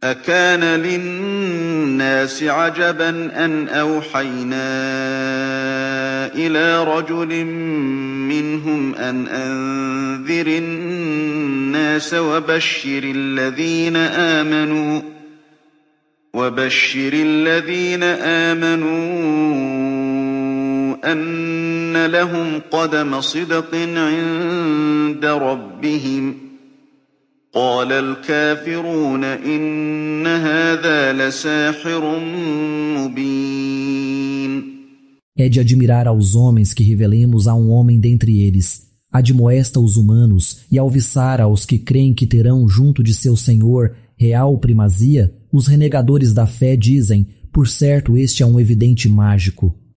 أكان للناس عجبا أن أوحينا إلى رجل منهم أن أنذر الناس وبشر الذين آمنوا أن لهم قدم صدق عند ربهم قال الكافرون إن هذا لساحر مبين. É de admirar aos homens que revelemos a um homem dentre eles. Admoesta os humanos e alviçar aos que creem que terão junto de seu Senhor real primazia, os renegadores da fé dizem, por certo este é um evidente mágico.